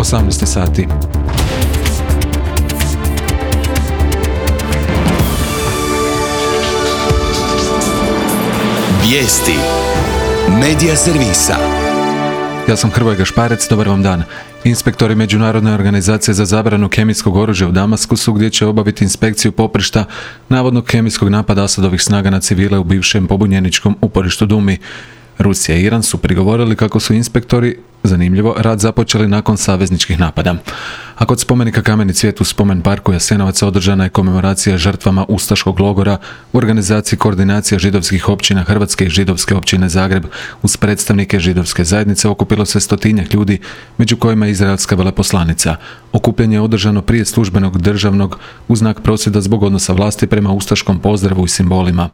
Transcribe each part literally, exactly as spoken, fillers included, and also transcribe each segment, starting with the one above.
osamnaest sati. Vijesti Medija servisa. Ja sam Hrvoje Gašparec, dobar vam dan. Inspektori Međunarodne organizacije za zabranu kemijskog oružja u Damaskusu, gdje će obaviti inspekciju poprišta navodnog kemijskog napada Asadovih snaga na civile u bivšem pobunjeničkom uporištu Dumi. Rusija i Iran su prigovorili kako su inspektori, zanimljivo, rad započeli nakon savezničkih napada. A kod spomenika Kameni cvijet u spomen parku Jasenovac održana je komemoracija žrtvama ustaškog logora u organizaciji Koordinacija židovskih općina Hrvatske i Židovske općine Zagreb. Uz predstavnike židovske zajednice okupilo se stotinjak ljudi, među kojima je izraelska veleposlanica. Okupljanje je održano prije službenog državnog u znak prosvjeda zbog odnosa vlasti prema ustaškom pozdravu i simbolima.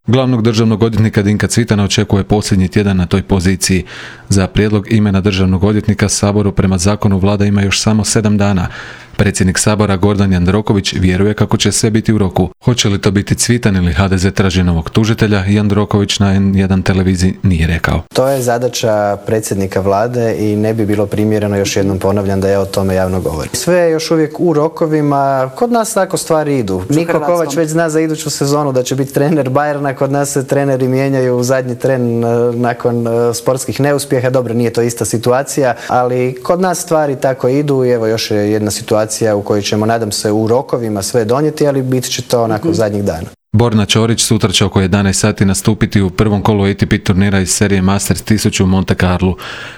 Glavnog državnog odvjetnika Dinka Cvitana očekuje posljednji tjedan na toj poziciji. Za prijedlog imena državnog odvjetnika Saboru prema zakonu vlada ima još samo sedam dana. Predsjednik Sabora Gordan Jandroković vjeruje kako će sve biti u roku. Hoće li to biti Cvitan ili ha de ze traži novog tužitelja, Jandroković na en jedan televiziji nije rekao. To je zadaća predsjednika vlade i ne bi bilo primjereno, još jednom ponavljam, da ja o tome javno govorim. Sve je još uvijek u rokovima, kod nas tako stvari idu. Niko Kovač već zna za iduću sezonu da će biti trener Bayerna, kod nas se treneri mijenjaju u zadnji tren nakon sportskih neuspjeha. Dobro, nije to ista situacija, ali kod nas stvari tako idu i evo još je jedna situacija u kojoj ćemo, nadam se, u rokovima sve donijeti, ali bit će to onako mm-hmm. zadnjih dana. Borna Ćorić sutra će oko jedanaest sati nastupiti u prvom kolu A T P turnira iz serije Masters tisuću u Monte Carlu.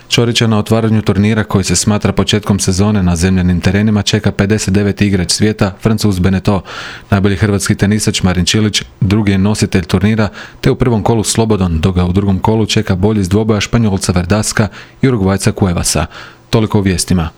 Ćorića na otvaranju turnira, koji se smatra početkom sezone na zemljanim terenima, čeka pedeset deveti igrač svijeta, Francuz Beneteau. Najbolji hrvatski tenisač Marin Čilić drugi je nositelj turnira, te u prvom kolu slobodan, dok ga u drugom kolu čeka bolji iz dvoboja Španjolca Verdaska i Urugvajca Cuevasa. Toliko u vijestima.